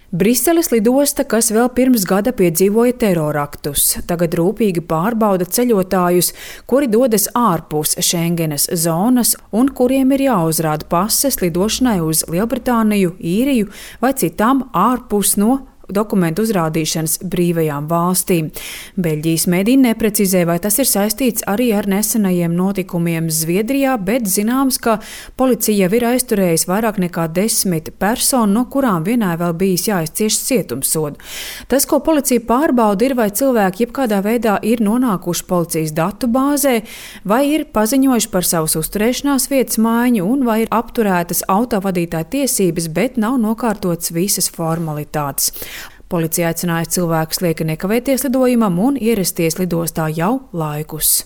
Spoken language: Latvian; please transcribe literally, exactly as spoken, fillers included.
Briseles lidosta, kas vēl pirms gada piedzīvoja teroraktus, tagad rūpīgi pārbauda ceļotājus, kuri dodas ārpus Schengenas zonas un kuriem ir jāuzrāda pases lidošanai uz Lielbritāniju, Īriju vai citām ārpus no dokumentu uzrādīšanas brīvajām valstīm. Beļģijas mediji neprecizē, vai tas ir saistīts arī ar nesenajiem notikumiem Zviedrijā, bet zināms, ka policija jau ir aizturējusi vairāk nekā desmit personu, no kurām vienai vēl bijis jāizcieš cietumsodu. Tas, ko policija pārbauda, ir, vai cilvēki jebkādā veidā ir nonākuši policijas datu bāzē, vai ir paziņojuši par savas uzturēšanās vietas maiņu un vai ir apturētas autovadītāja tiesības, bet nav nokārtotas visas formalitātes. Policija aicināja cilvēkus lieki nekavēties lidojumam un ierasties lidostā jau laikus.